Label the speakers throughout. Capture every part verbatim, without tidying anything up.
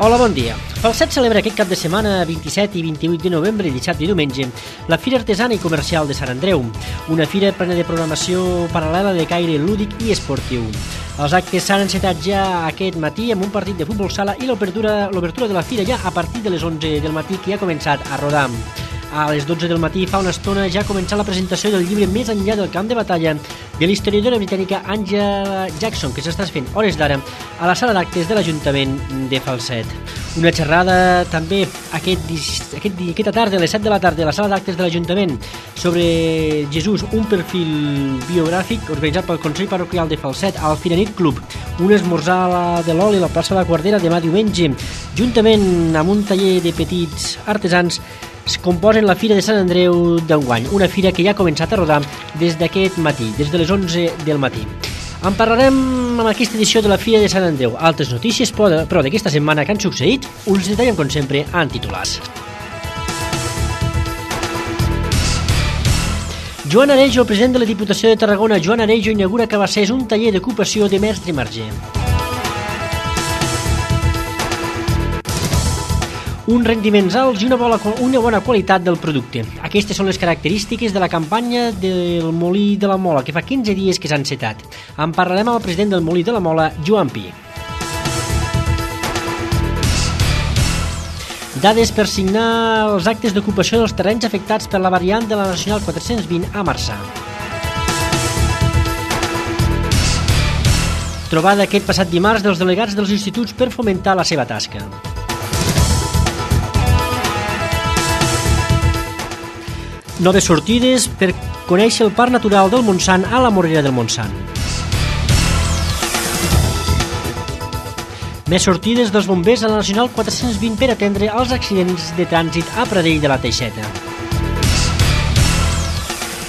Speaker 1: Hola, bon dia. Falset celebra aquest cap de setmana, vint-i-set i vint-i-vuit de novembre, dissabte i diumenge, la Fira Artesana i Comercial de Sant Andreu, una fira plena de programació paral·lela de caire lúdic i esportiu. Els actes s'han encetat ja aquest matí amb un partit de futbol sala i l'obertura l'obertura de la fira ja a partir de les onze del matí, que ja ha començat a rodar. A les dotze del matí, fa una estona, ja ha començat la presentació del llibre Més enllà del camp de batalla de l'historiadora britànica Angela Jackson, que s'està fent hores d'ara a la sala d'actes de l'Ajuntament de Falset. Una xerrada també aquest, aquest, aquesta tarda, a les set de la tarda, a la sala d'actes de l'Ajuntament, sobre Jesús, un perfil biogràfic organitzat pel Consell Parroquial de Falset al Firanit Club, un esmorzar de l'oli a la plaça de la Guardera demà diumenge, juntament amb un taller de petits artesans es composen la Fira de Sant Andreu d'enguany, una fira que ja ha començat a rodar des d'aquest matí, des de les onze del matí. En parlarem amb aquesta edició de la Fira de Sant Andreu. Altres notícies, però d'aquesta setmana que han succeït, us detallem com sempre en titulars. Joan Arejo, president de la Diputació de Tarragona, Joan Arejo inaugura a Cabassers un taller d'ocupació de mestre marger. Uns rendiments alts i una bona, una bona qualitat del producte. Aquestes són les característiques de la campanya del Molí de la Mola, que fa quinze dies que s'ha encetat. En parlarem amb el president del Molí de la Mola, Joan Pi. Dades per signar els actes d'ocupació dels terrenys afectats per la variant de la Nacional quatre-cents vint a Marçà. Trobada aquest passat dimarts dels delegats dels instituts per fomentar la seva tasca. Noves sortides per conèixer el Parc Natural del Montsant a la Morera del Montsant. Més sortides dels bombers a la Nacional quatre-cents vint per atendre els accidents de trànsit a Pradell de la Teixeta.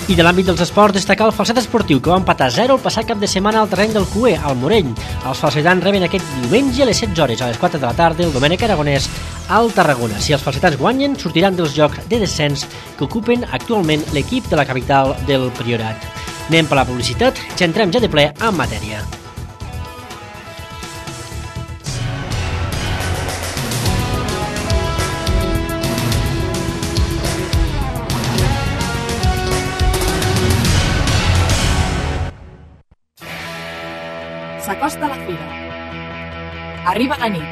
Speaker 1: I de l'àmbit dels esports, destacar el Falset Esportiu, que va empatar zero el passat cap de setmana al terreny del Cué, al Morell. Els falsetans reben aquest diumenge a les setze hores, a les quatre de la tarda, el Domènec Aragonès al Tarragona. Si els falsetans guanyen, sortiran dels jocs de descens que ocupen actualment l'equip de la capital del Priorat. Anem per la publicitat, ja entrem ja de ple en matèria.
Speaker 2: S'acosta la fira. Arriba la nit.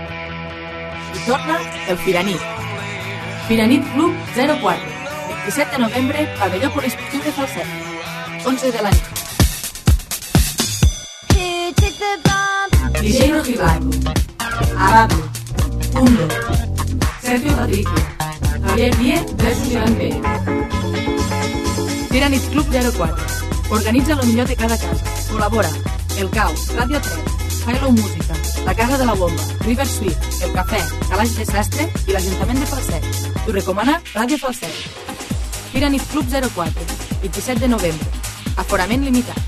Speaker 2: I torna el Firanit. Firanit Club zero quatre. vint-i-set de novembre, pavelló poliesportiu de Falset. onze de la nit. D J Rojibato. Abablo. Hundo. Sergio Patricio. Javier Díez versus Iván Pérez. Firanit Club zero quatre. Organitza el millor de cada casa. Col·labora El Cau, Ràdio tres, Hello Música, La Casa de la Bomba, River Suite, El Cafè, Calaix de Sastre i l'Ajuntament de Falset. T'ho recomana Ràdio Falset. Firanit Club zero quatre, vint-i-set de novembre. Aforament limitat.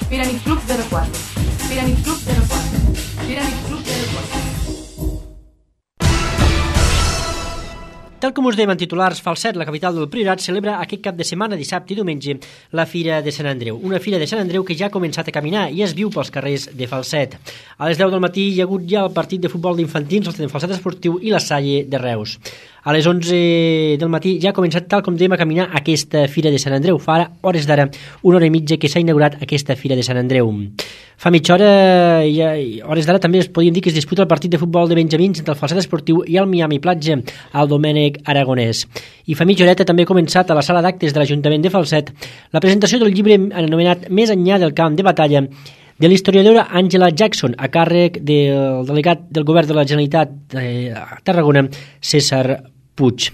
Speaker 2: Firanit Club zero quatre. Firanit Club zero quatre. Firanit Club zero quatre.
Speaker 1: Tal com us dèiem en titulars, Falset, la capital del Priorat, celebra aquest cap de setmana, dissabte i diumenge, la Fira de Sant Andreu. Una Fira de Sant Andreu que ja ha començat a caminar i es viu pels carrers de Falset. A les deu del matí hi ha hagut ja el partit de futbol d'infantils, el Falset Esportiu i la Salle de Reus. A les onze del matí ja ha començat, tal com dèiem, a caminar aquesta Fira de Sant Andreu. Fa ara, hores d'ara, una hora i mitja que s'ha inaugurat aquesta Fira de Sant Andreu. Fa mitja hora, ja, hores d'ara, també es podien dir que es disputa el partit de futbol de Benjamins entre el Falset Esportiu i el Miami Platja, al Domènec Aragonès. I fa mitja horeta també ha començat a la sala d'actes de l'Ajuntament de Falset la presentació del llibre anomenat Més enllà del camp de batalla de l'historiadora Angela Jackson, a càrrec del delegat del Govern de la Generalitat de Tarragona, César Puig.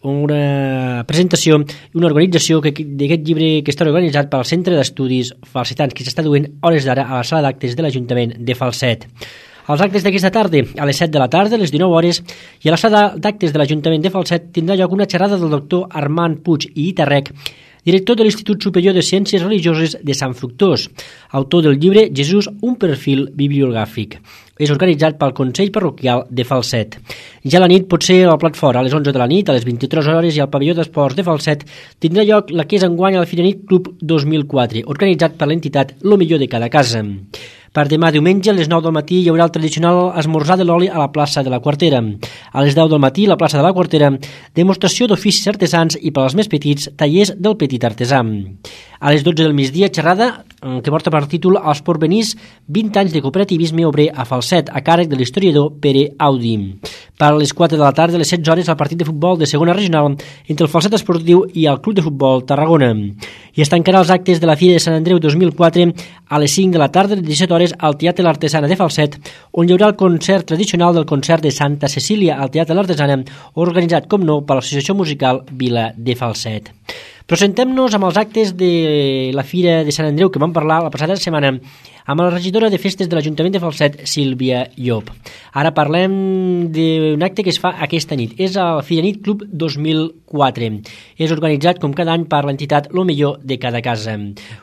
Speaker 1: Una presentació i una organització d'aquest llibre que està organitzat pel Centre d'Estudis Falsetans, que s'està duent hores d'ara a la sala d'actes de l'Ajuntament de Falset. Els actes d'aquesta tarda, a les set de la tarda, a les dinou hores, i a la sala d'actes de l'Ajuntament de Falset tindrà lloc una xerrada del doctor Armand Puig i Itarrec, director de l'Institut Superior de Ciències Religioses de Sant Fructós, autor del llibre Jesús, un perfil bibliogràfic. És organitzat pel Consell Parroquial de Falset. Ja a la nit, potser al plat fort, a les onze de la nit, a les vint-i-tres hores, i al pavelló d'esports de Falset tindrà lloc la que és enguany al Firanit Club dos mil quatre, organitzat per l'entitat Lo millor de cada casa. Per demà diumenge, a les nou del matí, hi haurà el tradicional esmorzar de l'oli a la plaça de la Quartera. A les deu del matí, a la plaça de la Quartera, demostració d'oficis artesans i, per als més petits, tallers del petit artesà. A les dotze del migdia, xerrada que porta per títol Els porvenís, vint anys de cooperativisme obrer a Falset, a càrrec de l'historiador Pere Audi. Per a les quatre de la tarda, a les setze hores, el partit de futbol de segona regional entre el Falset Esportiu i el Club de Futbol Tarragona. I es tancarà els actes de la Fira de Sant Andreu dos mil quatre a les cinc de la tarda, a les disset hores, al Teatre l'Artesana de Falset, on hi haurà el concert tradicional del concert de Santa Cecília al Teatre l'Artesana, organitzat, com no, per l'Associació Musical Vila de Falset. Però sentem-nos amb els actes de la Fira de Sant Andreu que vam parlar la passada setmana amb la regidora de festes de l'Ajuntament de Falset, Sílvia Llop. Ara parlem d'un acte que es fa aquesta nit. És el Fira Nit Club dos mil quatre. És organitzat, com cada any, per l'entitat Lo Millor de Cada Casa.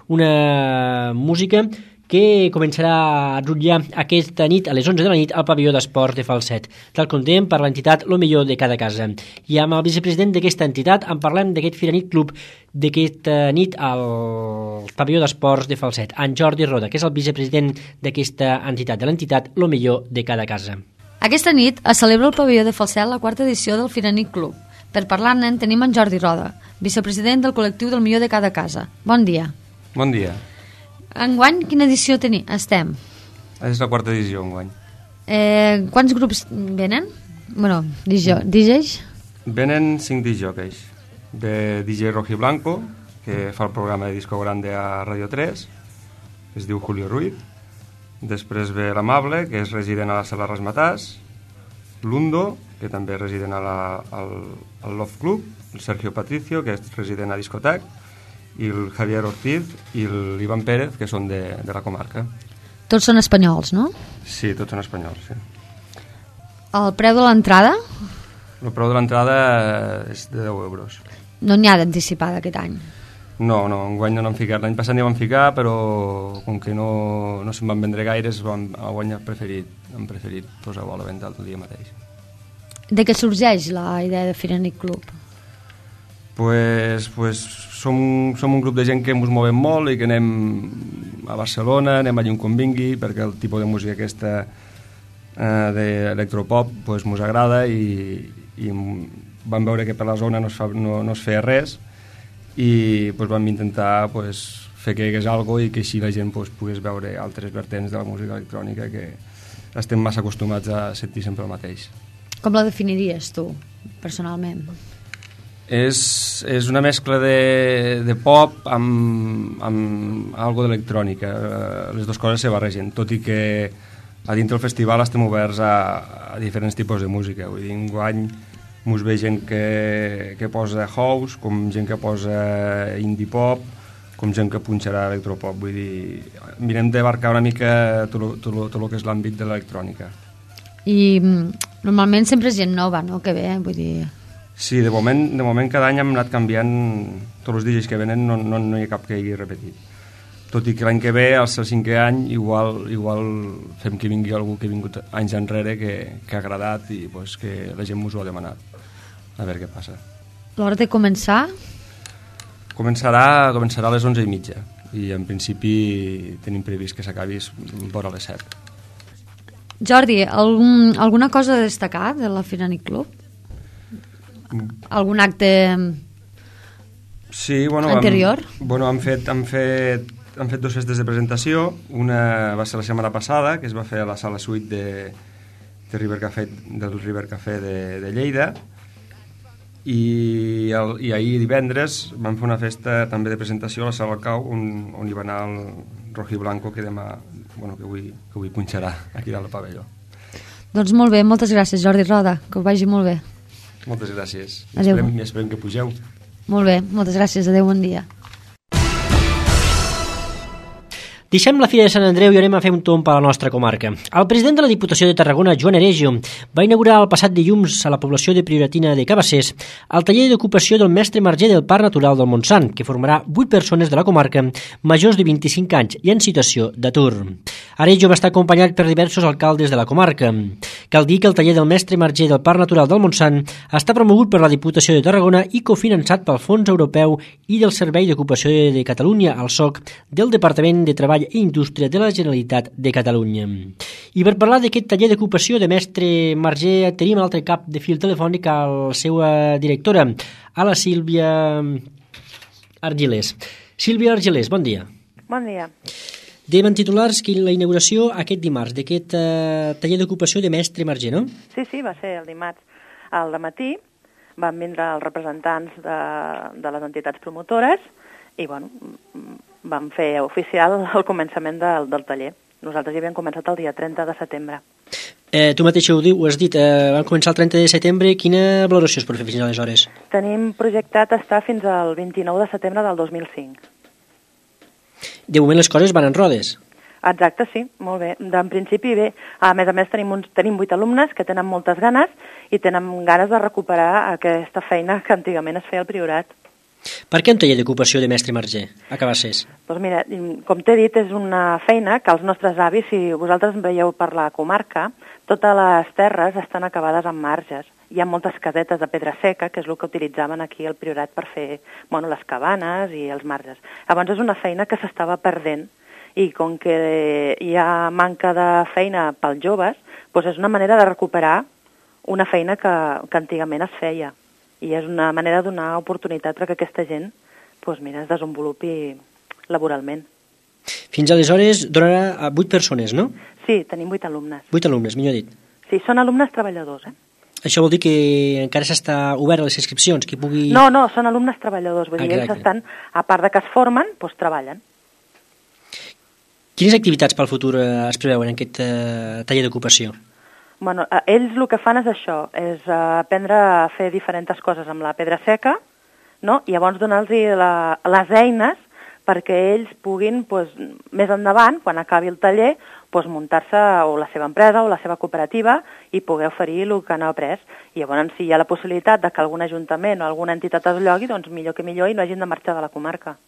Speaker 1: Una música que començarà a rutllar aquesta nit a les onze de la nit al pavelló d'esports de Falset, tal com dèiem, per l'entitat Lo Millor de Cada Casa. I amb el vicepresident d'aquesta entitat en parlem d'aquest Fira Nit Club d'aquesta nit al pavelló d'esports de Falset, en Jordi Roda, que és el vicepresident d'aquesta entitat, de l'entitat Lo Millor de Cada Casa.
Speaker 3: Aquesta nit es celebra al pavelló de Falset la quarta edició del Fira Nit Club. Per parlar-ne tenim en Jordi Roda, vicepresident del col·lectiu del Millor de Cada Casa. Bon dia.
Speaker 4: Bon dia.
Speaker 3: Enguany, quina edició teni? estem?
Speaker 4: És la quarta edició, enguany.
Speaker 3: Eh, quants grups venen? Bueno, D Js?
Speaker 4: Venen cinc D Js. Ve D J Roji Blanco, que fa el programa de Disco Grande a Radio tres, que es diu Julio Ruiz. Després ve l'Amable, que és resident a la Sala Rasmatàs. Lundo, que també és resident a la, al, al Love Club. El Sergio Patricio, que és resident a Discotec. I el Javier Ortiz i l'Ivan Pérez, que són de, de la comarca.
Speaker 3: Tots són espanyols, no?
Speaker 4: Sí, tots són espanyols, sí.
Speaker 3: El preu de l'entrada?
Speaker 4: El preu de l'entrada és de deu euros.
Speaker 3: No n'hi ha d'anticipada aquest any?
Speaker 4: No, no, enguany no n'han ficat. L'any passat n'hi van ficar, però com que no, no se'n van vendre gaires, van, enguany han preferit, han preferit posar-ho a la venda el dia mateix.
Speaker 3: De què sorgeix la idea de Fira Nit Club?
Speaker 4: Pues, pues som, som un grup de gent que ens movem molt i que anem a Barcelona, anem allà on convingui, perquè el tipus de música aquesta eh, d'electropop pues, ens agrada i, i vam veure que per la zona no es, fa, no, no es feia res i pues, vam intentar pues, fer que hi hagués alguna cosa i que així la gent pues, pogués veure altres vertents de la música electrònica que estem massa acostumats a sentir sempre el mateix.
Speaker 3: Com la definiries tu, personalment?
Speaker 4: És, és una mescla de, de pop amb, amb algo d'electrònica. Les dues coses se barregen, tot i que a dintre del festival estem oberts a, a diferents tipus de música. Vull dir, enguany mos ve gent que, que posa house, com gent que posa indie pop, com gent que punxarà electropop. Vull dir, mirem d'abarcar una mica tot, tot, tot el que és l'àmbit de l'electrònica.
Speaker 3: I normalment sempre és gent nova, no?, que ve, vull dir...
Speaker 4: Sí, de moment, de moment cada any hem anat canviant tots els D Js que venen, no, no, no hi ha cap que hagi repetit. Tot i que l'any que ve, al ser cinquè any, igual, igual fem que vingui algú que ha vingut anys enrere que, que ha agradat i pues, que la gent ens ho ha demanat. A veure què passa.
Speaker 3: L'hora de començar?
Speaker 4: Començarà, començarà a les onze i mitja i en principi tenim previst que s'acabi vora les set.
Speaker 3: Jordi, algun, alguna cosa a destacar de la Fira Nit Club? Algun acte
Speaker 4: sí, bueno,
Speaker 3: anterior?
Speaker 4: Hem, bueno, han fet, han, fet, han fet dues festes de presentació. Una va ser la setmana passada, que es va fer a la sala suite de, de River Café, del River Café de, de Lleida, i, el, i ahir divendres vam fer una festa també de presentació a la sala Cau, on, on hi va anar el Roji Blanco, que demà, bueno, que avui, que avui punxarà aquí dalt al pavelló.
Speaker 3: Doncs molt bé, moltes gràcies, Jordi Roda, que us vagi molt bé.
Speaker 4: Moltes gràcies.
Speaker 3: Adéu.
Speaker 4: Esperem, esperem que pugeu.
Speaker 3: Molt bé, moltes gràcies. Adéu, bon dia.
Speaker 1: Deixem la Fira de Sant Andreu i anem a fer un tomb a la nostra comarca. El president de la Diputació de Tarragona, Joan Aregio, va inaugurar el passat dilluns a la població de Prioratina de Cabassers el taller d'ocupació del mestre marger del Parc Natural del Montsant, que formarà vuit persones de la comarca majors de vint-i-cinc anys i en situació d'atur. Aregio va estar acompanyat per diversos alcaldes de la comarca. Cal dir que el taller del mestre Marger del Parc Natural del Montsant està promogut per la Diputació de Tarragona i cofinançat pel Fons Europeu i del Servei d'Ocupació de Catalunya, el S O C, del Departament de Treball i Indústria de la Generalitat de Catalunya. I per parlar d'aquest taller d'ocupació de mestre Marger tenim a l'altre cap de fil telefònic a la seva directora, a la Sílvia Argilés. Sílvia Argilés, bon dia.
Speaker 5: Bon dia.
Speaker 1: Dèiem titulars que la inauguració aquest dimarts d'aquest eh, taller d'ocupació de mestre Marger, no?
Speaker 5: Sí, sí, va ser el dimarts al dematí. Van vindre els representants de, de les entitats promotores i, bueno, van fer oficial el començament del, del taller. Nosaltres ja havíem començat el dia trenta de setembre.
Speaker 1: Eh, tu mateix ho, diu, ho has dit, eh, van començar el trenta de setembre. Quina valoració es pot fer fins aleshores?
Speaker 5: Tenim projectat estar fins al vint-i-nou de setembre del dos mil cinc.
Speaker 1: De moment les coses van en rodes.
Speaker 5: Exacte, sí, molt bé. En principi bé. A més a més tenim, uns, tenim vuit alumnes que tenen moltes ganes i tenen ganes de recuperar aquesta feina que antigament es feia al Priorat.
Speaker 1: Per què un taller d'ocupació de mestre Marger a Cabassers?
Speaker 5: Doncs mira, com t'he dit, és una feina que els nostres avis, si vosaltres veieu per la comarca, totes les terres estan acabades amb marges. Hi ha moltes casetes de pedra seca, que és el que utilitzaven aquí al Priorat per fer, bueno, les cabanes i els marges. Llavors és una feina que s'estava perdent i com que hi ha manca de feina pels joves, doncs és una manera de recuperar una feina que, que antigament es feia. I és una manera de donar oportunitat perquè aquesta gent doncs mira, es desenvolupi laboralment.
Speaker 1: Fins aleshores donarà a vuit persones, no?
Speaker 5: Sí, tenim vuit alumnes.
Speaker 1: Vuit alumnes, millor dit.
Speaker 5: Sí, són alumnes treballadors, eh?
Speaker 1: Això vol dir que encara s'està obert a les inscripcions, que pugui...
Speaker 5: No, no, són alumnes treballadors, vull
Speaker 1: ah,
Speaker 5: dir, ells estan, a part de que es formen, doncs treballen.
Speaker 1: Quines activitats pel futur es preveuen en aquest eh, taller d'ocupació?
Speaker 5: Bueno, ells el que fan és això, és aprendre a fer diferents coses amb la pedra seca, no? I llavors donar-los les eines perquè ells puguin, doncs, més endavant, quan acabi el taller, doncs, muntar-se o la seva empresa o la seva cooperativa i poder oferir el que han après. I llavors, si hi ha la possibilitat de que algun ajuntament o alguna entitat es llogui, doncs millor que millor i no hagin de marxar de la comarca.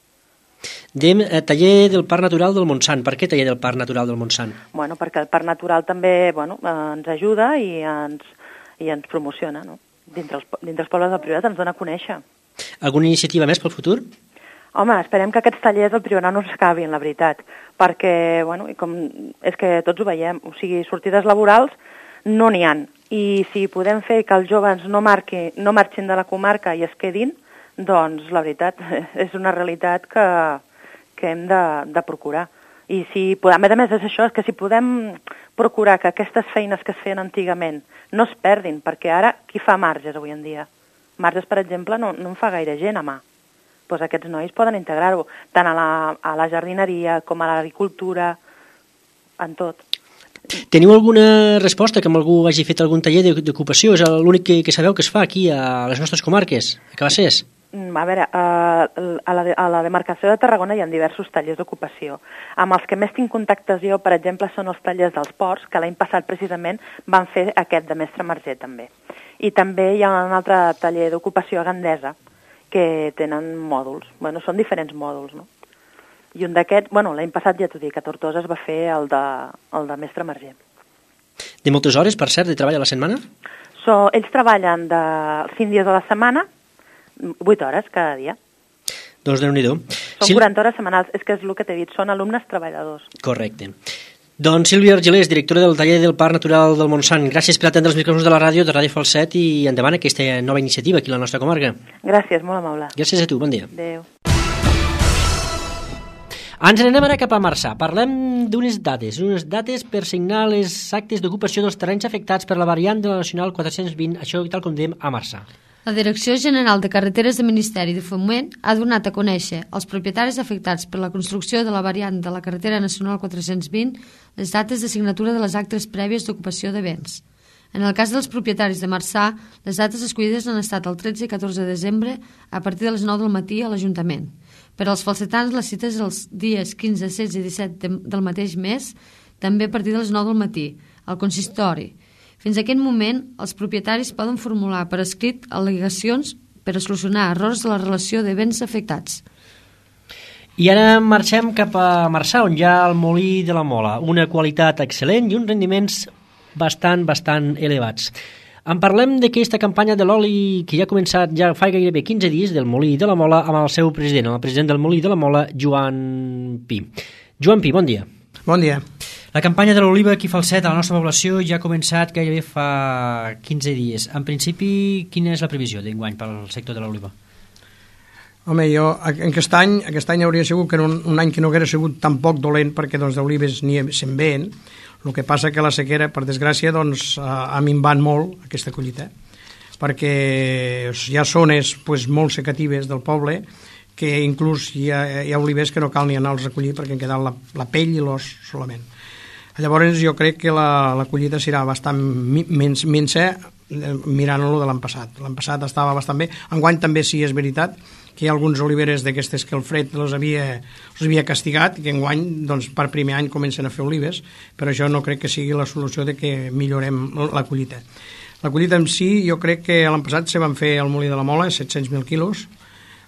Speaker 1: Dèiem eh, taller del Parc Natural del Montsant. Per què taller del Parc Natural del Montsant?
Speaker 5: Bueno, perquè el Parc Natural també bueno, eh, ens ajuda i ens, i ens promociona, no? Dintre els, dintre els pobles del Priorat ens dona a conèixer.
Speaker 1: Alguna iniciativa més pel futur?
Speaker 5: Home, esperem que aquests tallers al Priorat no s'acabin, la veritat, perquè, bueno, com és que tots ho veiem, o sigui, sortides laborals no n'hi ha. I si podem fer que els joves no, marqui, no marxin de la comarca i es quedin, doncs, la veritat, és una realitat que, que hem de, de procurar. I si, a més a més, és això, és que si podem procurar que aquestes feines que es feien antigament no es perdin, perquè ara qui fa marges avui en dia? Marges, per exemple, no, no en fa gaire gent a mà. Doncs aquests nois poden integrar-ho, tant a la, a la jardineria com a l'agricultura, en tot.
Speaker 1: Teniu alguna resposta que amb algú hagi fet algun taller d'ocupació? És l'únic que, que sabeu que es fa aquí a les nostres comarques, a Cabassers?
Speaker 5: A veure, a la, a la demarcació de Tarragona hi ha diversos tallers d'ocupació. Amb els que més tinc contactes jo, per exemple, són els tallers dels ports, que l'any passat precisament van fer aquest de mestre Marger també. I també hi ha un altre taller d'ocupació a Gandesa, que tenen mòduls. Bueno, són diferents mòduls, no? I un d'aquests, bueno, l'any passat ja t'ho dic, a Tortosa es va fer el de, el de mestre Marger.
Speaker 1: De moltes hores, per cert, de treball a la setmana?
Speaker 5: So, ells treballen de cinc dies a la setmana, vuit hores cada dia.
Speaker 1: Doncs Déu-n'hi-do.
Speaker 5: Són quaranta hores setmanals, és que és el que t'he dit, són alumnes treballadors.
Speaker 1: Correcte. Doncs Sílvia Argilés, directora del taller del Parc Natural del Montsant, gràcies per atendre els micròfons de la ràdio de Ràdio Falset i endavant aquesta nova iniciativa aquí a la nostra comarca.
Speaker 5: Gràcies, molt amable.
Speaker 1: Gràcies a tu, bon dia.
Speaker 5: Adéu.
Speaker 1: Ens n'anem ara cap a Marçà. Parlem d'unes dates, unes dates per signar les actes d'ocupació dels terrenys afectats per la variant de la Nacional quatre-cents vint, això tal com dèiem a Marçà.
Speaker 3: La Direcció General de Carreteres del Ministeri de Foment ha donat a conèixer als propietaris afectats per la construcció de la variant de la carretera nacional quatre-cents vint les dates de signatura de les actes prèvies d'ocupació de béns. En el cas dels propietaris de Marçà, les dates escollides han estat el tretze i catorze de desembre a partir de les nou del matí a l'Ajuntament. Per als falsetans, les cites els dies quinze, setze i disset del mateix mes, també a partir de les nou del matí, al consistori. Fins a aquest moment, els propietaris poden formular per escrit al·legacions per a solucionar errors de la relació de béns afectats.
Speaker 1: I ara marxem cap a Marçà, on hi ha el Molí de la Mola, una qualitat excel·lent i uns rendiments bastant, bastant elevats. En parlem d'aquesta campanya de l'oli que ja ha començat ja fa gairebé quinze dies del Molí de la Mola amb el seu president, el president del Molí de la Mola, Joan Pi. Joan Pi, bon dia.
Speaker 6: Bon dia.
Speaker 1: La campanya de l'oliva aquí a Falset, a la nostra població, ja ha començat gairebé fa quinze dies. En principi, quina és la previsió d'enguany pel sector de l'oliva?
Speaker 6: Home, jo, aquest any, aquest any hauria sigut que un, un any que no haguera sigut tan poc dolent, perquè doncs, d'olives n'hi se'n ven. El que passa que la sequera, per desgràcia, doncs, ha minvat molt aquesta collita, perquè hi ha zones pues, molt secatives del poble que inclús hi ha, hi ha olivers que no cal ni anar-los a collir perquè han quedat la, la pell i l'os solament. Llavors jo crec que la, la collita serà bastant menys, minsa mirant-lo de l'any passat. L'any passat estava bastant bé. Enguany també sí és veritat que hi ha alguns oliveres d'aquestes que el fred els havia, els havia castigat i que enguany doncs, per primer any comencen a fer olives, però això no crec que sigui la solució de que millorem la collita. La collita en si jo crec que l'any passat se van fer al Molí de la Mola set-cents mil quilos.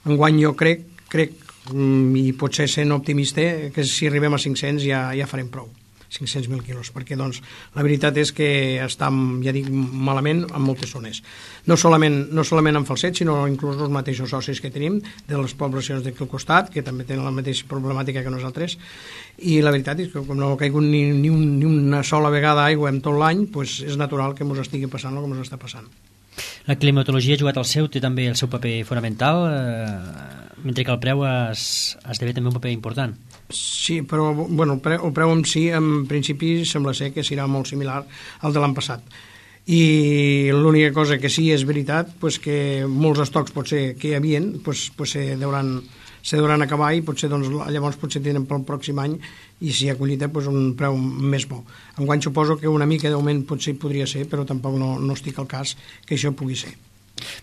Speaker 6: Enguany jo crec, crec i potser sent optimista, que si arribem a cinc-cents ja, ja farem prou. cinc-cents mil quilos, perquè doncs, la veritat és que està, ja dic, malament en moltes zones. No solament, no solament en Falset, sinó inclús els mateixos socis que tenim de les poblacions d'aquí al costat, que també tenen la mateixa problemàtica que nosaltres, i la veritat és que com no ha caigut ni, ni, un, ni una sola vegada aigua en tot l'any, doncs és natural que ens estigui passant el que ens està passant.
Speaker 1: La climatologia ha jugat el seu, té també el seu paper fonamental, eh, mentre que el preu es, esdevé també un paper important.
Speaker 6: Sí, però bueno, el, preu, el preu en si, en principi, sembla ser que serà molt similar al de l'any passat. I l'única cosa que sí és veritat, pues que molts estocs potser que hi havia pues, pues se, deuran, se deuran acabar i potser, doncs, llavors potser tenen pel pròxim any i si hi ha collita pues, un preu més bo. Enguany suposo que una mica d'augment potser podria ser, però tampoc no, no estic al cas que això pugui ser.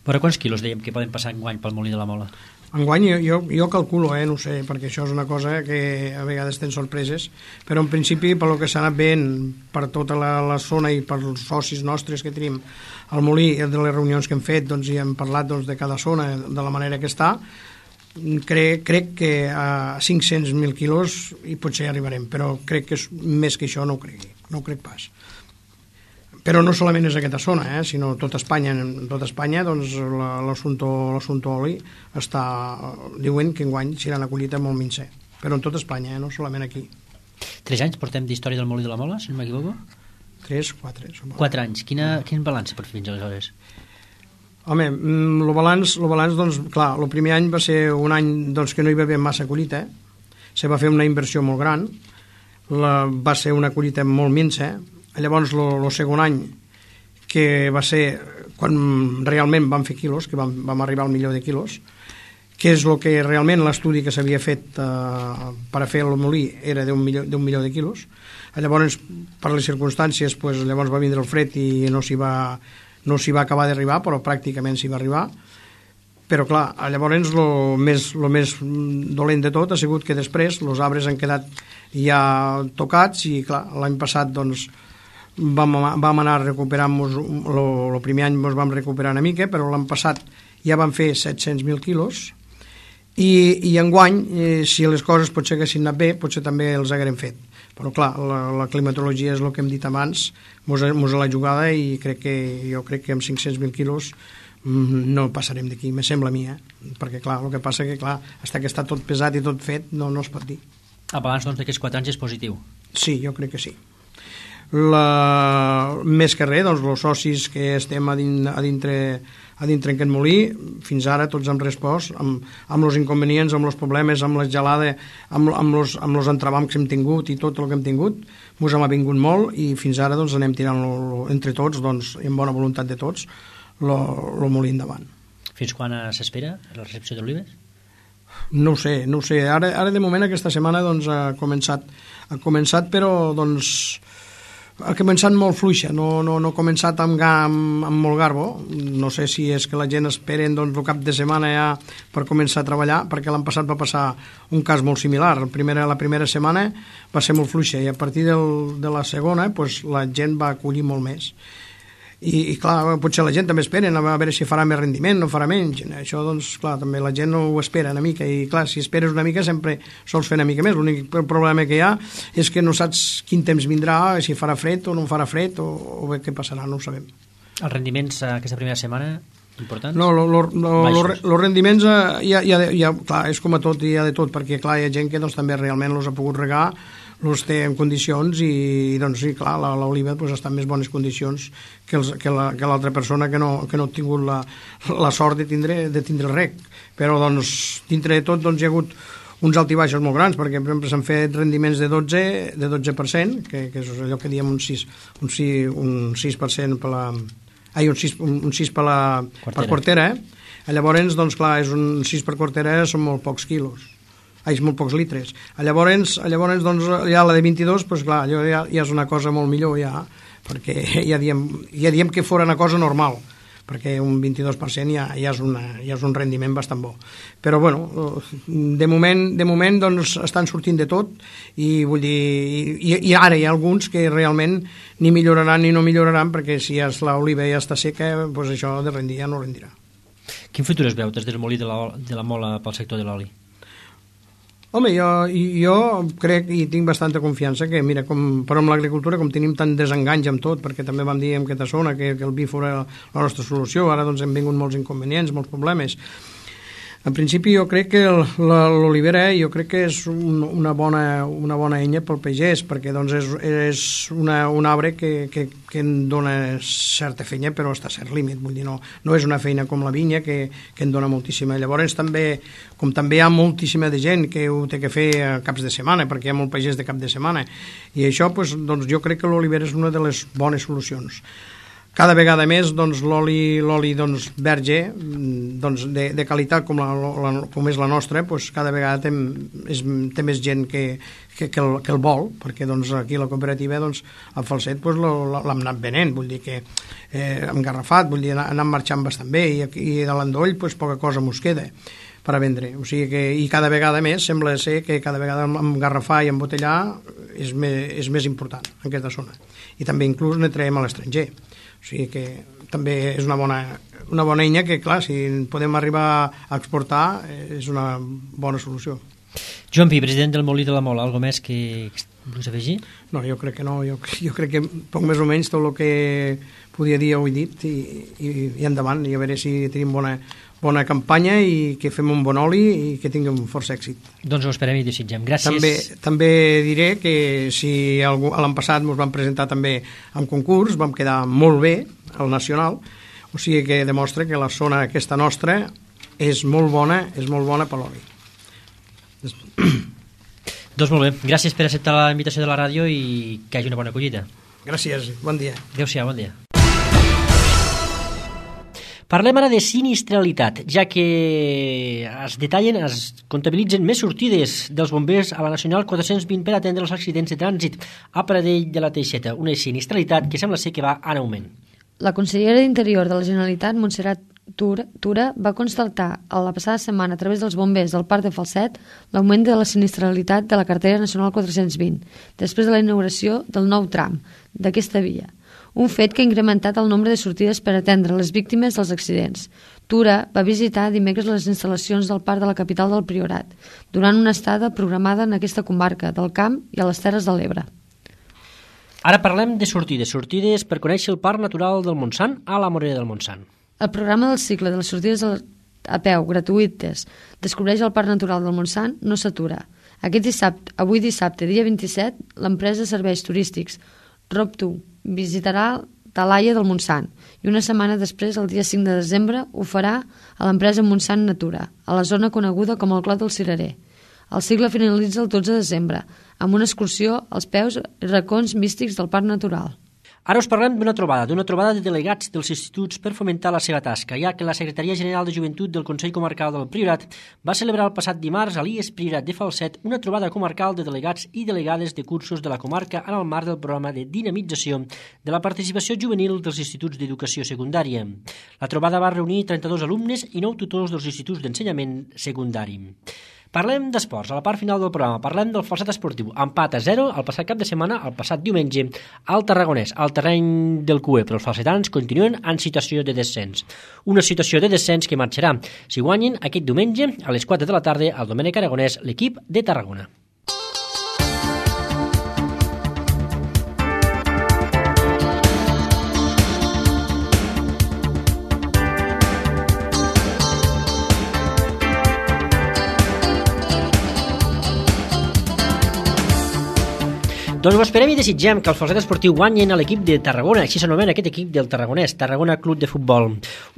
Speaker 1: Però quants quilos dèiem que poden passar enguany pel Molí de la Mola?
Speaker 6: Enguany jo, jo, jo calculo, eh, no sé, perquè això és una cosa que a vegades tenen sorpreses, però en principi per lo que s'ha anat veient per tota la, la zona i per els socis nostres que tenim al Molí, de les reunions que hem fet, doncs, i hem parlat doncs, de cada zona de la manera que està, crec, crec que a cinc-cents mil quilos i potser arribarem, però crec que és, més que això no ho cregui, no ho crec pas. Però no solament és aquesta zona, eh, sinó tota Espanya. En tota Espanya doncs, l'assumpte oli està, diuen que enguany serà una collita molt minsa, però en tota Espanya, eh, no solament aquí.
Speaker 1: Tres anys portem d'història del Molí de la Mola, si no m'equivoco?
Speaker 6: Tres, quatre.
Speaker 1: Quatre anys. Quina, quin balanç per fins aleshores?
Speaker 6: Home, el balanç, el balanç doncs, clar, el primer any va ser un any doncs, que no hi va haver massa collita, eh? Se va fer una inversió molt gran, la, va ser una collita molt minsa. Llavors el segon any, que va ser quan realment vam fer quilos, que vam, vam arribar al milió de quilos, que és el que realment l'estudi que s'havia fet eh, per a fer el molí era d'un milió, d'un milió de quilos. Llavors, per les circumstàncies, pues, llavors va vindre el fred i no s'hi va, no s'hi va acabar d'arribar, però pràcticament s'hi va arribar. Però clar, llavors el més, lo més dolent de tot ha sigut que després els arbres han quedat ja tocats i clar, l'any passat doncs Vam, vam anar recuperant-nos, el primer any ens vam recuperar una mica, però l'any passat ja vam fer set-cents mil quilos i, i enguany, eh, si les coses potser haguessin anat bé, potser també els haguérem fet. Però clar, la, la climatologia és el que hem dit abans, mos, mos a la jugada i crec que, jo crec que amb cinc-cents mil quilos no passarem d'aquí, me sembla a mi, eh? Perquè clar, el que passa que clar, hasta que està tot pesat i tot fet, no, no es pot dir.
Speaker 1: El balanç doncs, d'aquests quatre anys és positiu?
Speaker 6: Sí, jo crec que sí. La, més que res, doncs, els socis que estem a, din, a, dintre, a dintre en aquest molí, fins ara tots hem respost amb, amb els inconvenients, amb els problemes, amb la gelada, amb, amb, els, amb els entrebancs que hem tingut i tot el que hem tingut, ens hem avingut molt i fins ara doncs, anem tirant lo, lo, entre tots, doncs, amb bona voluntat de tots, el molí endavant.
Speaker 1: Fins quan s'espera la recepció d'olives?
Speaker 6: No ho sé, no ho sé. Ara, ara de moment aquesta setmana doncs, ha començat, ha començat però doncs ha començat molt fluixa, no, no, no ha començat amb, amb, amb molt garbo. No sé si és que la gent esperen doncs, el cap de setmana ja per començar a treballar, perquè l'any passat va passar un cas molt similar. La primera, la primera setmana va ser molt fluixa i a partir del, de la segona pues, la gent va acollir molt més. I, i clar, potser la gent també espera a veure si farà més rendiment, no farà menys. Això, doncs, clar, també la gent no ho espera una mica, i clar, si esperes una mica sempre sols fer una mica més. L'únic problema que hi ha és que no saps quin temps vindrà, si farà fred o no farà fred, o, o bé què passarà, no ho sabem.
Speaker 1: Els rendiments aquesta primera setmana, importants?
Speaker 6: No, els rendiments hi ha, hi ha, hi ha, clar, és com a tot, hi ha de tot, perquè clar, hi ha gent que doncs, també realment els ha pogut regar, els té en condicions, i doncs sí, clar, l'oliva doncs, està en més bones condicions que, els, que, la, que l'altra persona que no, que no ha tingut la, la sort de tindre, de tindre el rec. Però doncs, dintre de tot doncs, hi ha hagut uns altibaixos molt grans, perquè per exemple s'han fet rendiments de dotze, de dotze per cent, que, que és allò que diem un sis, un sis, un sis per cent per la... Ai, un sis, un, un sis per la quartera. Per quartera, eh? Llavors, doncs clar, és un sis per quartera, són molt pocs quilos. Ai, molt pocs litres. Llavors, llavors doncs, ja la de vint-i-dos, doncs, clar, allò ja, ja és una cosa molt millor, ja, perquè ja diem, ja diem que fora una cosa normal, perquè un vint-i-dos per cent ja, ja, és una, ja és un rendiment bastant bo. Però, bueno, de moment, de moment doncs, estan sortint de tot, i vull dir, i, i ara hi ha alguns que realment ni milloraran ni no milloraran, perquè si ja l'oliva ja està seca, doncs això de rendir ja no rendirà.
Speaker 1: Quin futur es veu des del molí de la, de la mola pel sector de l'oli?
Speaker 6: Home, jo, jo crec i tinc bastanta confiança que, mira, com, però amb l'agricultura, com tenim tant desenganys amb tot, perquè també vam dir en aquesta zona que, que el vi fora la nostra solució, ara doncs hem vingut molts inconvenients, molts problemes. En principi jo crec que l'olivera jo crec que és un, una, bona, una bona eina pel pagès, perquè doncs és, és una, un arbre que, que, que en dona certa feina, però està a cert límit, vull dir, no, no és una feina com la vinya que, que en dona moltíssima. Llavors també, com també hi ha moltíssima de gent que ho té que fer a caps de setmana, perquè hi ha molt pagès de cap de setmana, i això pues, doncs, jo crec que l'olivera és una de les bones solucions. Cada vegada més doncs, l'oli, l'oli doncs, verge doncs, de, de qualitat com, la, la, com és la nostra, doncs, cada vegada té, és, té més gent que, que, que, el, que el vol, perquè doncs, aquí la cooperativa doncs, a Falset doncs, l'hem anat venent, vull dir que eh, hem garrafat, vull dir, anant marxant bastant bé, i, i de l'endoll doncs, poca cosa mos queda per a vendre. O sigui que, i cada vegada més sembla ser que cada vegada engarrafar i embotellar és més, és més important en aquesta zona. I també inclús ne traiem a l'estranger. O sigui que també és una bona, una bona eina que, clar, si podem arribar a exportar, és una bona solució.
Speaker 1: Joan Pi, president del Molí de la Mola, alguna més que vols afegir?
Speaker 6: No, jo crec que no. Jo, jo crec que poc més o menys tot el que podia dir ho he dit, i, i, i endavant, i a veure si tenim bona, bona campanya i que fem un bon oli i que tinguem força èxit.
Speaker 1: Doncs ho esperem i desitgem. Gràcies.
Speaker 6: També, també diré que si algú, l'any passat ens vam presentar també en concurs, vam quedar molt bé al nacional, o sigui que demostra que la zona aquesta nostra és molt bona, és molt bona per l'oli.
Speaker 1: Doncs molt bé, gràcies per acceptar la invitació de la ràdio i que hagi una bona collita.
Speaker 6: Gràcies, bon dia.
Speaker 1: Adéu-siau, bon dia. Parlem ara de sinistralitat, ja que es detallen, es comptabilitzen més sortides dels bombers a la Nacional quatre-cents vint per atendre els accidents de trànsit a Pradell de la Teixeta, una sinistralitat que sembla ser que va en augment.
Speaker 3: La consellera d'Interior de la Generalitat, Montserrat Tura, Tura, va constatar a la passada setmana a través dels bombers del Parc de Falset l'augment de la sinistralitat de la carretera nacional quatre-cents vint, després de la inauguració del nou tram d'aquesta via. Un fet que ha incrementat el nombre de sortides per atendre les víctimes dels accidents. Tura va visitar dimecres les instal·lacions del Parc de la capital del Priorat, durant una estada programada en aquesta comarca del Camp i a les Terres de l'Ebre.
Speaker 1: Ara parlem de sortides, sortides per conèixer el Parc Natural del Montsant a la Morera del Montsant.
Speaker 3: El programa del cicle de les sortides a peu gratuïtes Descobreix el Parc Natural del Montsant no s'atura. Aquest dissabte, avui dissabte, dia vint-i-set, l'empresa de serveis turístics Roptu visitarà Talaia del Montsant i una setmana després, el dia cinc de desembre, ho farà a l'empresa Montsant Natura, a la zona coneguda com el Clot del Cirerer. El cicle finalitza el dotze de desembre, amb una excursió als peus i racons místics del Parc Natural.
Speaker 1: Ara us parlem d'una trobada, d'una trobada de delegats dels instituts per fomentar la seva tasca, ja que la Secretaria General de Joventut del Consell Comarcal del Priorat va celebrar el passat dimarts a l'I E S Priorat de Falset una trobada comarcal de delegats i delegades de cursos de la comarca en el marc del programa de dinamització de la participació juvenil dels instituts d'educació secundària. La trobada va reunir trenta-dos alumnes i nou tutors dels instituts d'ensenyament secundari. Parlem d'esports, a la part final del programa. Parlem del Falset esportiu. Empat a zero el passat cap de setmana, el passat diumenge, al Tarragonès, al terreny del C U E, però els falsetans continuen en situació de descens. Una situació de descens que marxarà, si guanyin, aquest diumenge, a les quatre de la tarda, al Domènec Aragonès, l'equip de Tarragona. Doncs ho esperem i desitgem que el Falset esportiu guanyin a l'equip de Tarragona, així s'anomena aquest equip del Tarragonès, Tarragona Club de Futbol.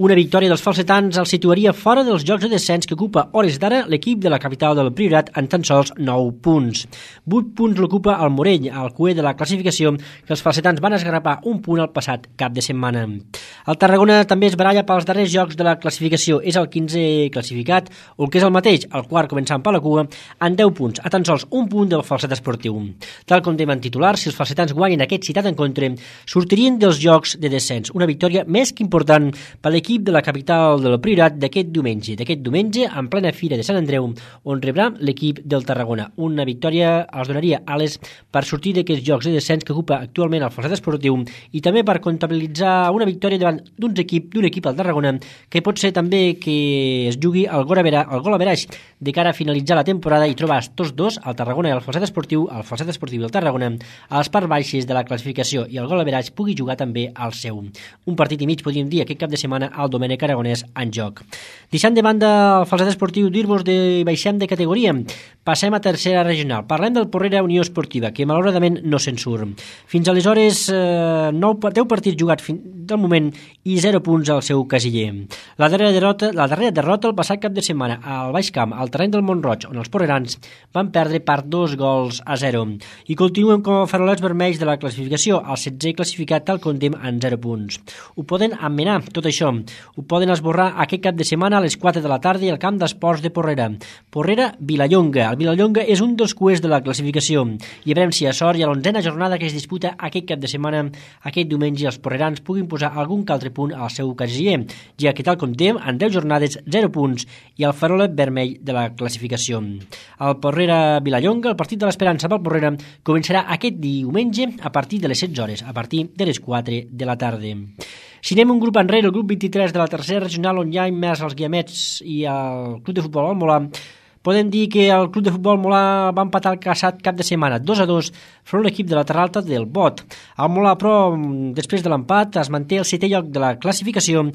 Speaker 1: Una victòria dels falsetans els situaria fora dels jocs de descens que ocupa hores d'ara l'equip de la capital del Priorat en tan sols nou punts. vuit punts l'ocupa el Morell, al C U E de la classificació, que els falsetans van esgarrapar un punt al passat cap de setmana. El Tarragona també es baralla pels darrers jocs de la classificació, és el quinzè classificat, o el que és el mateix, el quart començant per la cua, en deu punts, a tan sols un punt del Falset esportiu. Tal com dèiem titular, si els falsetans guanyen aquest citat encontre, sortirien dels jocs de descens. Una victòria més que important per l'equip de la capital del Priorat d'aquest diumenge. D'aquest diumenge, en plena Fira de Sant Andreu, on rebrà l'equip del Tarragona. Una victòria els donaria ales per sortir d'aquests jocs de descens que ocupa actualment el Falset esportiu i també per comptabilitzar una victòria davant d'un equip, d'un equip al Tarragona que pot ser també que es jugui el gol a veraix de cara a finalitzar la temporada i trobar tots dos, el Tarragona i el Falset esportiu, el Falset esportiu i el Tarragona, a les parts baixes de la classificació i el gol average pugui jugar també al seu. Un partit i mig, podríem dir, aquest cap de setmana al Domènec Aragonès en joc. Deixant de banda el Falset esportiu, dir-vos de baixem de categoria. Passem a tercera regional. Parlem del Porrera Unió Esportiva, que malauradament no se'n surt. Fins aleshores, eh, deu partits jugats fins del moment i zero punts al seu casiller. La darrera derrota, la darrera derrota el passat cap de setmana al Baix Camp, al terreny del Montroig, on els porrerans van perdre per dos gols a zero. I continuen com a farolets vermells de la classificació, el setzè classificat tal condem en zero punts. Ho poden emmenar, tot això. Ho poden esborrar aquest cap de setmana a les quatre de la tarda al camp d'esports de Porrera. Porrera, Vilallonga. El Vilallonga és un dels cuers de la classificació i a veure si a sort i a l'onzena jornada que es disputa aquest cap de setmana, aquest diumenge, els porrerans puguin posar algun altre punt al seu casiller, ja que tal condem en deu jornades zero punts i el farolet vermell de la classificació. El Porrera Vilallonga, el partit de l'esperança pel Porrera, començarà aquest diumenge a partir de les setze hores, a partir de les quatre de la tarda. Si anem un grup enrere, el grup vint-i-tres de la tercera regional, on hi ha immers els Guiamets i el Club de Futbol del Molar, podem dir que el Club de Futbol Molar va empatar el passat cap de setmana dos a dos front l'equip de la Terra Alta del Bot. El Molar, però, després de l'empat, es manté al setè lloc de la classificació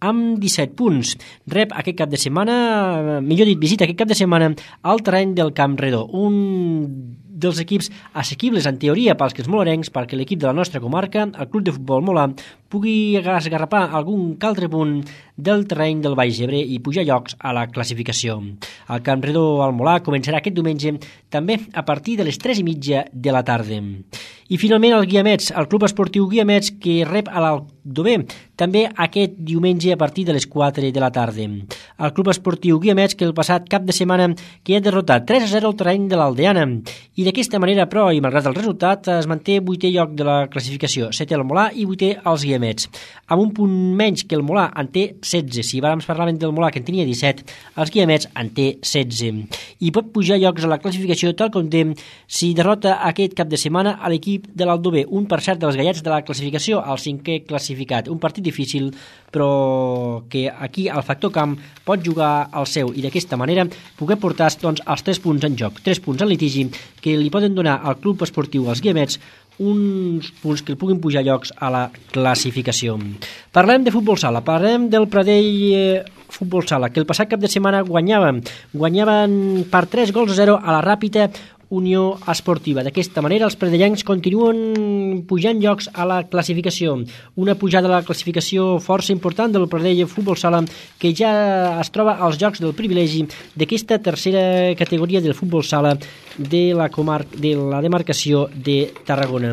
Speaker 1: amb disset punts. Rep aquest cap de setmana, millor dit, visita aquest cap de setmana al terreny del Camp Redó, un dels equips assequibles en teoria pels que els molarencs, perquè l'equip de la nostra comarca, el Club de Futbol Molar, pugui esgarrapar algun altre punt del terreny del Baix Ebre i pujar llocs a la classificació. El Camp Redó al Molar començarà aquest diumenge també a partir de les tres i mitja de la tarda. I finalment el Guiamets, el Club Esportiu Guiamets, que rep a l'Aldover també aquest diumenge a partir de les quatre de la tarda. El Club Esportiu Guiamets, que el passat cap de setmana que ha derrotat tres a zero al terreny de l'Aldeana, i d'aquesta manera, però, i malgrat el resultat, es manté vuitè lloc de la classificació, setè el Molar i vuitè els Guiamets, amb un punt menys que el Molar en té setze. Si abans parlàvem del Molar, que en tenia disset, els Guiamets en té setze. I pot pujar llocs a la classificació tal com dem si derrota aquest cap de setmana a l'equip de l'Aldover, un per cert dels gallets de la classificació, el cinquè classificat. Un partit difícil, però que aquí el factor camp pot jugar al seu i d'aquesta manera poder portar doncs, els tres punts en joc, tres punts en litigi que li poden donar al Club Esportiu els Guiamets uns punts que puguin pujar llocs a la classificació. Parlem de futbol sala, parlem del Pradell eh, Futbol Sala, que el passat cap de setmana guanyaven, guanyaven per tres gols a zero a la Ràpita Unió Esportiva. D'aquesta manera els pradellencs continuen pujant llocs a la classificació. Una pujada a la classificació força important del Pradell Futbol Sala, que ja es troba als jocs del privilegi d'aquesta tercera categoria del futbol sala de la, comar de la demarcació de Tarragona.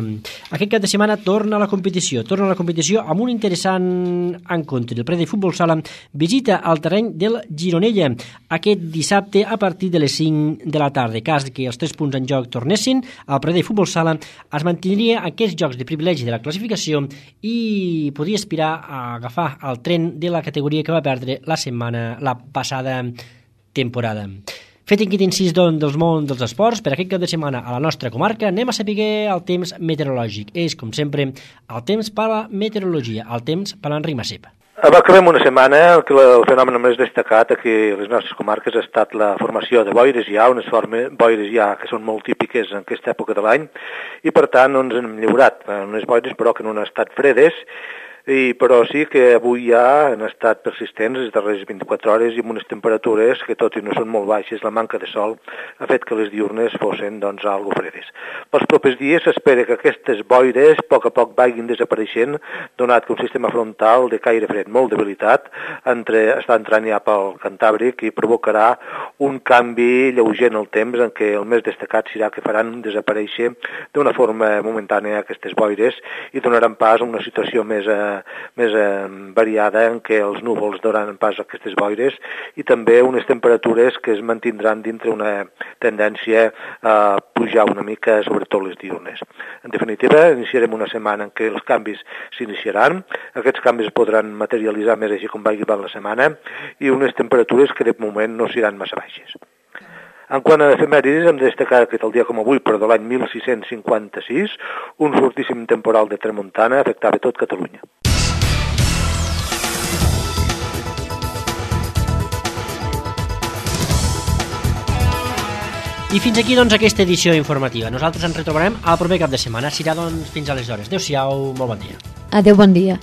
Speaker 1: Aquest cap de setmana torna a la competició, torna a la competició amb un interessant encontre. El Pradell Futbol Sala visita al terreny del Gironella aquest dissabte a partir de les cinc de la tarda. Cas que els tres punts en joc tornessin, el Pradell Futbol Sala es mantindria aquests jocs de privilegi de la classificació i podria aspirar a agafar el tren de la categoria que va perdre la setmana, la passada temporada. Fet aquest incís doncs, del món dels esports, per aquest cap de setmana a la nostra comarca anem a saber el temps meteorològic. És, com sempre, el temps per a la meteorologia, el temps per l'Enric Massip.
Speaker 7: Acabem una setmana en què el fenomen més destacat aquí a les nostres comarques ha estat la formació de boires ja, unes formes, boires ja que són molt típiques en aquesta època de l'any, i per tant no ens hem lliurat unes boires però que no han estat fredes, i, però sí que avui ja han estat persistents les darreres vint-i-quatre hores i amb unes temperatures que tot i no són molt baixes, la manca de sol ha fet que les diurnes fossin doncs algo fredes. Pels propers dies s'espera que aquestes boires a poc a poc vagin desapareixent, donat que un sistema frontal de caire fred molt debilitat entre, està entrant ja pel Cantàbric i provocarà un canvi lleuger en el temps en què el més destacat serà que faran desaparèixer d'una forma momentània aquestes boires i donaran pas a una situació més eh, més eh, variada en què els núvols donaran pas a aquestes boires i també unes temperatures que es mantindran dintre una tendència a pujar una mica, sobretot les diurnes. En definitiva, iniciarem una setmana en què els canvis s'iniciaran, aquests canvis podran materialitzar més així com vagi la setmana i unes temperatures que de moment no seran massa baixes. En quant a efemèrides, hem de destacar que el dia com avui, però de l'any mil sis-cents cinquanta-sis, un fortíssim temporal de tramuntana afectava tot Catalunya.
Speaker 1: I fins aquí doncs aquesta edició informativa. Nosaltres ens retrobarem al proper cap de setmana. Serà doncs fins aleshores. Adéu-siau, molt bon dia.
Speaker 3: Adéu, bon dia.